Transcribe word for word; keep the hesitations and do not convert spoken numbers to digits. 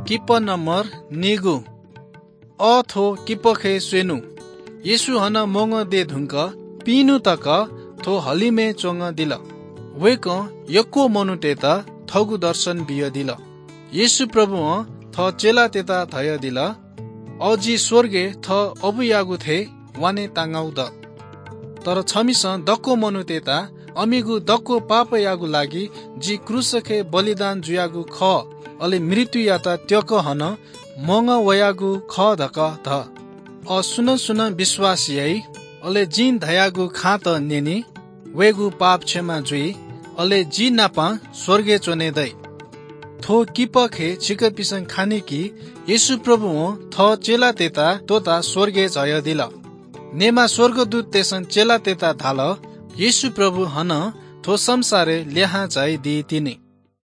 किपः नम्बर निगू। अ थ्व किपःखे स्वेनु। येशू हनं म्वंगः दये धुंक पिइन्हु तक थ्व हलिमय् च्वंगदिल। वय्कलं यक्व मनूतय्त थःगु दर्शन बियादिल। येशू प्रभुं थः चेलातय्त धयादिल, अ जि स्वर्गय् थः अबुयागु थें वाने तांगाउ दु। तर छमिसं दक्व मनूतय्त अमिगु दक्व पापयागु लागि जि क्रूसखे बलिदान जुयागु खः, अले मृत्युयात त्यक हनं म्वंगः वयागु खः धकाः धा। अ सुनं सुनं विश्वास याइ, अले जिं धयागु खँत न्यनी, वय्गु पाप क्षमा जुइ, अले जि नाप स्वर्गय् च्वने दइ। थ्व किपःखे छिकपिसं खनी कि येशू प्रभुं थः चेलातय्त त्वःताः स्वर्गय् झायादिल। नेमा स्वर्गदूततय्सं चेलातय्त धाल, येशू प्रभु हनं थ्व संसारय् लिहां झायादी तिनि।